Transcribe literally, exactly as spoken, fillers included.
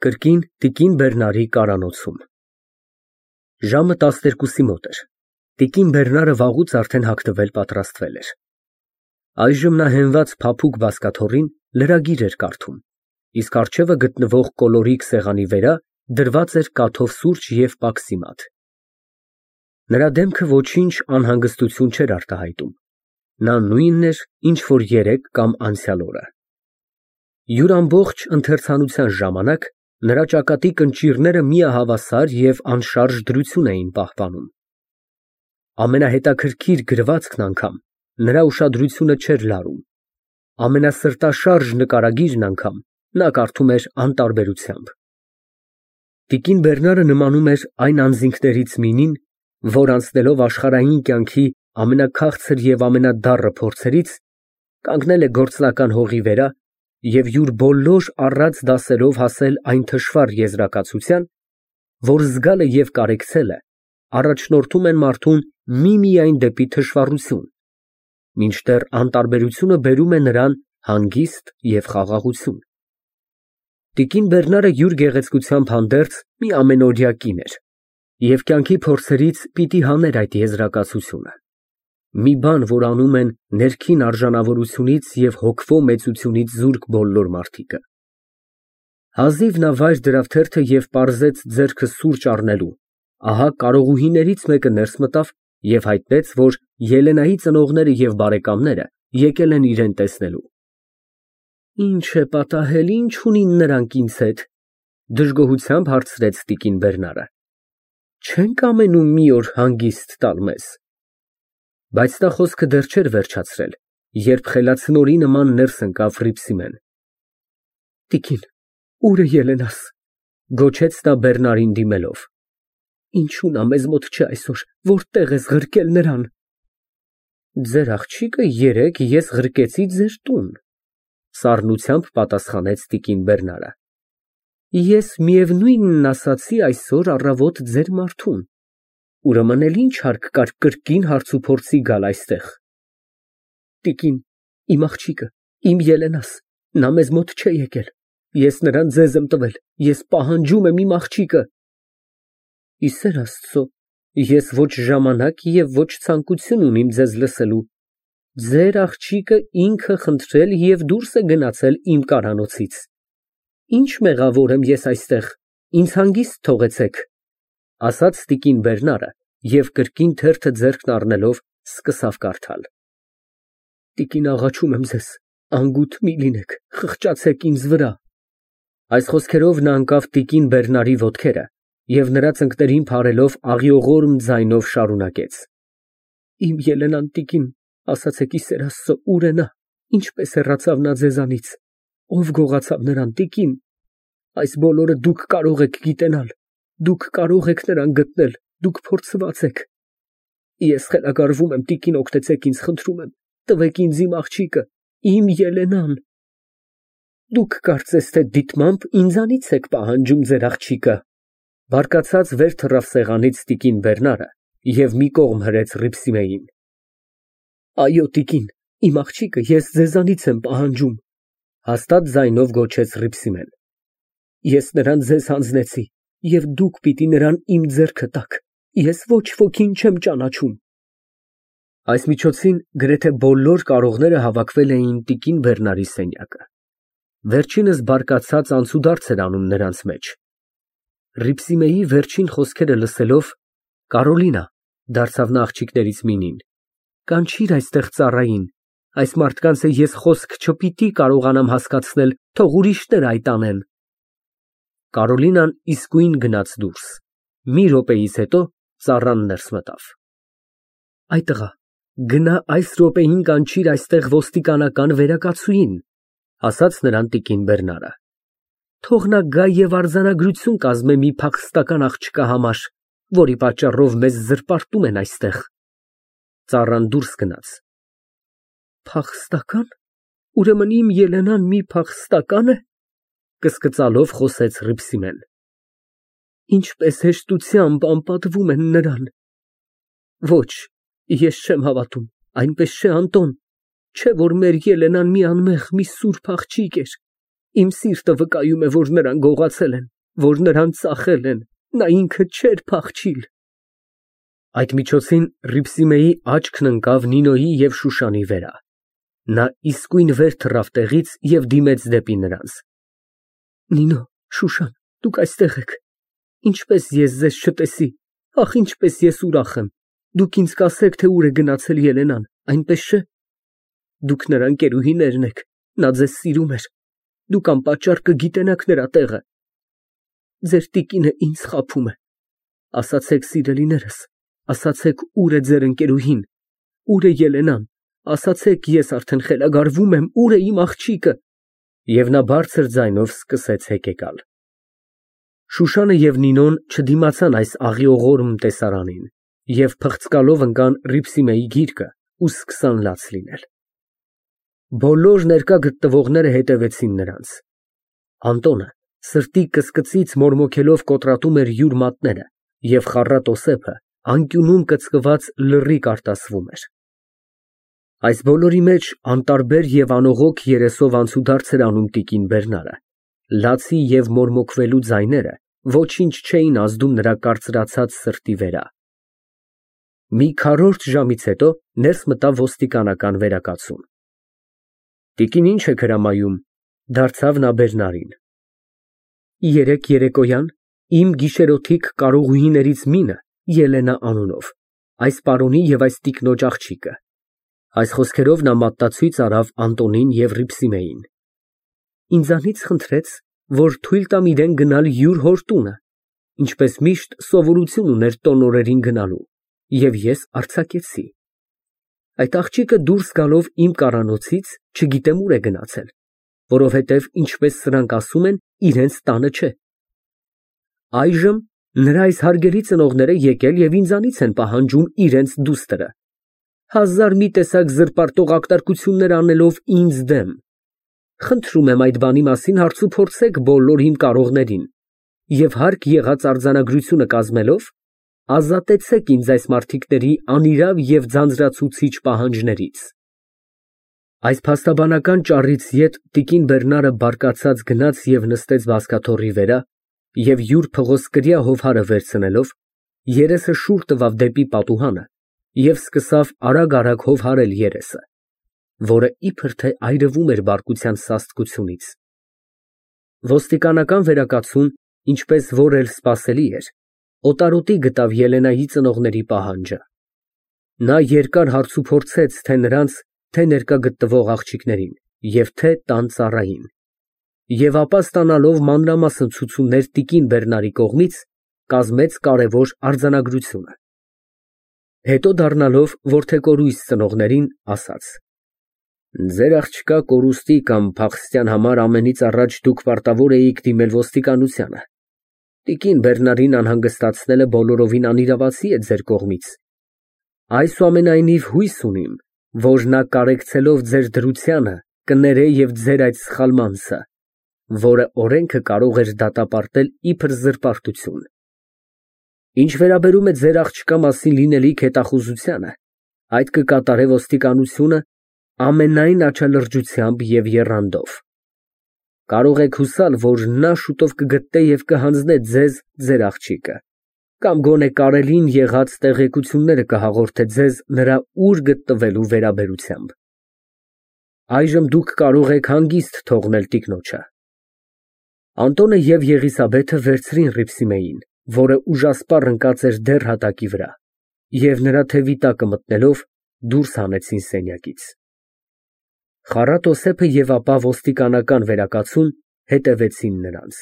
Կրկին տիկին Բեռնարի կարանոցում։ Ժամը տասներկուսի մոտ էր, տիկին Բեռնարը վաղուց արդեն հագնվել պատրաստվել էր։ Այժմ նա հենված փափուկ բազկաթոռին լրագիր էր կարդում, իսկ առջևը գտնվող կոլորիկ սեղանի վրա դրված էր կաթով սուրճ և պաքսիմատ։ Նրա դեմքը ոչինչ անհանգստություն չէր արտահայտում, նա նույնն էր, ինչ որ երեկ կամ անցյալ օրը։ Յուր ամբողջ ընթերցանության ժամանակ նրա ճակատի կնճիռները միահավասար և անշարժ դրություն էին պահպանում։ Ամենահետաքրքիր գրվածքն անգամ նրա ուշադրությունը չէր լարում, ամենասրտաշարժ նկարագիրն անգամ նա կարդում էր անտարբերությամբ։ Տիկին Բեռնարը նմանում էր այն անձինքներից մինին, որ անցնելով աշխարհային կյանքի ամենաքաղցր և ամենադառը փորձերից, կանգնել է գործնական հողի վրա և յուր բոլոր առած դասերով հասել այն թշվառ եզրակացության, որ զգալը և կարեկցելը առաջնորդում են մարդուն միմիայն դեպի թշվառություն, մինչդեռ անտարբերությունը բերում է նրան հանգիստ և խաղաղություն։ Տիկին Բեռնարը յուր գեղեցկությամբ հանդերձ մի ամենօրյա կին էր և կյանքի փորձերից պիտի հաներ այդ եզրակացությունը, մի բան, որ անում են ներքին արժանավորությունից և հոգվո մեծությունից զուրկ բոլոր մարդիկը։ Հազիվ նա վայր դրավ թերթը և պարզեց ձեռքը սուրճ առնելու, ահա կարողուհիներից մեկը ներս մտավ և հայտնեց, որ Ելենայի ծնողները և բարեկամները եկել են իրան տեսնելու։ Ի՞նչ է պատահել, ի՞նչ ունին նրանք ինձ հետ, դժգոհությամբ հարցրեց տիկին Բեռնարը։ Չե՞ն կամենում մի օր հանգիստ տալ մեզ։ Բայց նա խոսքը դեռ չէր վերջացրել, երբ խելացնորի նման ներս ընկավ Հռիփսիմեն։ Տիկին, ո՞ւր է Ելենաս, գոչեց նա Բեռնարին դիմելով։ Ինչու նա մեզ մոտ չէ այսօր, որտե՞ղ ես ղրկել նրան։ Ձեր աղջիկը երեկ ես ղրկեցի ձեր տուն, սառնությամբ պատասխանեց տիկին Բեռնարը։ Ես միևնույնն ասացի այսօր առավոտ ձեր մարդուն, ուրեմն էլ ի՞նչ հարկ կար կրկին հարցուփորձի գալ այստեղ։ Տիկին, իմ աղջիկը, իմ Ելենաս, նա մեզ մոտ չէ եկել, ես նրան ձեզ եմ տվել, ես պահանջում եմ իմ աղջիկը։ Ի սեր Աստծո, ես ոչ ժամանակ և ոչ ցանկություն ունիմ ձեզ լսելու, ձեր աղջիկը ինքը խնդրել և դուրս է գնացել իմ կարանոցից։ Ինչ մեղավոր եմ ես այստեղ, ինձ հանգիստ թողեցեք, ասաց տիկին Բեռնարը և կրկին թերթը ձեռքն առնելով սկսավ կարդալ։ Տիկին, աղաչում եմ ձեզ, անգութ մի լինեք, խղճացեք ինձ վրա։ Այս խոսքերով նա ընկավ տիկին Բեռնարի ոտքերը և նրա ծնկներին փարելով աղիողորմ ձայնով շարունակեց. Իմ Ելենան, տիկին, ասացեք ի սեր Աստծո, ո՞ւր է նա, ինչպես հեռացավ նա ձեզանից, ով գողացավ նրան, տիկին։ Այս բոլորը դուք կարող եք գիտենալ, դուք կարող եք նրան գտնել, դուք փորձված եք։ Ես խելագարվում եմ, տիկին, օգնեցեք ինձ, խնդրում եմ, տվեք ինձ իմ աղջիկը, իմ Ելենան։ Դուք կարծես թե դիտմամբ ինձանից եք պահանջում ձեր աղջիկը։ Բարկացած վեր թռավ սեղանից տիկին Բեռնարը և մի կողմ հրեց Հռիփսիմեին։ Այո, տիկին, իմ աղջիկը ես ձեզանից եմ պահանջում, հաստատ ձայնով գոչեց Հռիփսիմեն։ Ես նրան ձեզ հանձնեցի և դուք պիտի նրան իմ ձեռքը տաք, ես ոչ ոքին չեմ ճանաչում։ Այս միջոցին գրեթե բոլոր կարողները հավաքվել էին տիկին Բեռնարի սենյակը։ Վերջինս բարկացած անցուդարձ էր անում նրանց մեջ։ Հռիփսիմեի վերջին խոսքերը լսելով Կարոլինա, դարձավ նա աղջիկներից մինին, կանչիր այստեղ ծառային, այս մարդկանց է ես խոսք չպիտի կարողանամ հասկացնել, թող ուրիշները այդ անեն։ Կարոլինան իսկույն գնաց դուրս, մի րոպեից հետո ծառան ներս մտավ։ Այ տղա, գնա այս րոպեին կանչիր այստեղ ոստիկանական վերակացուհին, ասաց նրան տիկին Բեռնարը։ Թող նա գա և արձանագրություն կազմե մի փախստական աղջկա համար, որի պատճառով մեզ զրպարտում են այստեղ։ Ծառան դուրս գնաց։ Փախստական, ուրեմն իմ Ելենան մի փախստակա՞ն է, կսկծալով խոսեց Հռիփսիմեն։ Ինչպես հեշտությամբ անպատվում են նրան։ Ոչ, ես չեմ հավատում, այնպես չէ, Անտոն, չէ որ մեր Ելենան մի անմեղ, մի սուրբ աղջիկ էր։ Իմ սիրտը վկայում է, որ նրան գողացել են, որ նրան ծախել են, նա ինքը չէր փախչիլ։ Այդ միջոցին Հռիփսիմեի աչքն ընկավ Նինոյի և Շուշանի վրա։ Նա իսկույն վեր թռավ տեղից և դիմեց դեպի նրանց։ Նինո, Շուշան, դուք այստեղ եք։ Ինչպես ես ձեզ չտեսի, ախ, ինչպես ես ուրախ եմ։ Դուք ինձ կասեք, թե ուր է գնացել Ելենան, այնպես չէ։ Դուք նրա ընկերուհիներն եք, նա ձեզ սիրում էր։ Դուք անպատճառ կգիտենաք նրա տեղը։ Ձեր տիկինը ինձ խաբում է։ Ասացեք, սիրելիներս, ասացեք, ուր է ձեր ընկերուհին, ուր է Ելենան, ասացեք, ես արդեն խելագարվում եմ, ուր է իմ աղջիկը։ Եվ նա բարձր ձայնով սկսեց հեկեկալ։ Շուշանը և Նինոն չդիմացան այս աղիողորմ տեսարանին և փղծկալով ընկան Հռիփսիմեի գիրկը ու սկսան լաց լինել։ Բոլոր ներկա գտնվողները հետևեցին նրանց։ Անտոնը սրտի կսկծից մորմոքելով կոտրատում էր յուր մատները և խառատոսեփը անկյունում կծկված լռիկ արտասվում էր։ Այս բոլորի մեջ անտարբեր և անողոք երեսով անցուդարձ էր անում տիկին Բերնարը, լացի և մորմոքվելու ձայները ոչինչ չէին ազդում նրա կարծրացած սրտի վրա։ Մի քառորդ ժամից հետո ներս մտավ ոստիկանական վերակացուն։ Տիկին, ի՞նչ եք հրամայում, դարձավ նա Բերնարին։ Երեկ երեկոյան իմ գիշերօթիկ կարողուհիներից մինը, Ելենա անունով, այս պարոնի և այս տիկնոջ աղջիկը։ Այս խոսքերով նա մատնացույց արավ Անտոնին և Հռիփսիմեին։ Ինձանից խնդրեց, որ թույլ տամ իրան գնալ յուր հոր տունը, ինչպես միշտ սովորություն ուներ տոն օրերին գնալու, և ես արձակեցի։ Այդ աղջիկը դուրս գալով իմ կառանոցից չգիտեմ ուր է գնացել, որովհետև, ինչպես սրանք ասում են, իրենց տանը չէ։ Այժմ նրա այս հարգելի ծնողները եկել և ինձանից են պահանջում իրենց դուստրը, հազար մի տեսակ զրպարտող ակտարկություններ անելով ինձ դեմ։ Խնդրում եմ այդ բանի մասին հարցուփորձեք բոլոր իմ կարողներին և հարկ եղած արձանագրությունը կազմելով ազատեցեք ինձ այս մարդիկների անիրավ և ձանձրացուցիչ պահանջներից։ Այս փաստաբանական ճառից ետ տիկին Բերնարը բարկացած գնաց և նստեց բազկաթոռի վրա և յուր փղոսկրյա հովհարը վերցնելով, երեսը շուռ տվավ դեպի պատուհանը և սկսավ արագ֊արագ հովհարել երեսը, որը իբր թե այրվում էր բարկության սաստկությունից։ Ոստիկանական վերակացուն, ինչպես որ էլ սպասելի էր, օտարոտի գտավ Ելենայի ծնողների պահանջը։ Նա երկար հարցուփորձեց թե նրանց, թե ներկա գտնվող աղջիկներին և թե տան ծառային, և ապա ստանալով մանրամասն ցուցումներ տիկին Բերնարի կողմից, կազմեց կարևոր արձանագրությունը։ Հետո դառնալով որդեկորույս ծնողներին, ասաց. Ձեր աղջկա կորուստի կամ փախստյան համար ամենից առաջ դուք պարտավոր էիք դիմել ոստիկանությանը։ Տիկին Բերնարին անհանգստացնելը բոլորովին անիրավացի է ձեր կողմից։ Այսուամենայնիվ հույս ունիմ, որ նա կարեկցելով ձեր դրությանը կներե և ձեր այդ սխալմանցը, որը օրենքը կարող էր դատապարտել իբր զրպարտություն։ Ինչ վերաբերում է ձեր աղջկա մասին լինելիք հետախուզությանը, այդ կկատարե ոստիկանությունը ամենայն աչալրջությամբ և եռանդով։ Կարող եք հուսալ, որ նա շուտով կգտնե և կհանձնե ձեզ ձեր աղջիկը, կամ գոնե կարելին եղած տեղեկությունները կհաղորդե ձեզ նրա ուր գտնվելու վերաբերությամբ։ Այժմ դուք կարող եք հանգիստ թողնել տիկնոջը։ Անտոնը և Եղիսաբեթը վերցրին Հռիփսիմեին, որը ուժասպառ ընկած էր դեռ հատակի վրա, և նրա թևի տակը մտնելով դուրս հանեցին սենյակից։ Խառատոսեփը և ապա ոստիկանական վերակացուն հետևեցին նրանց։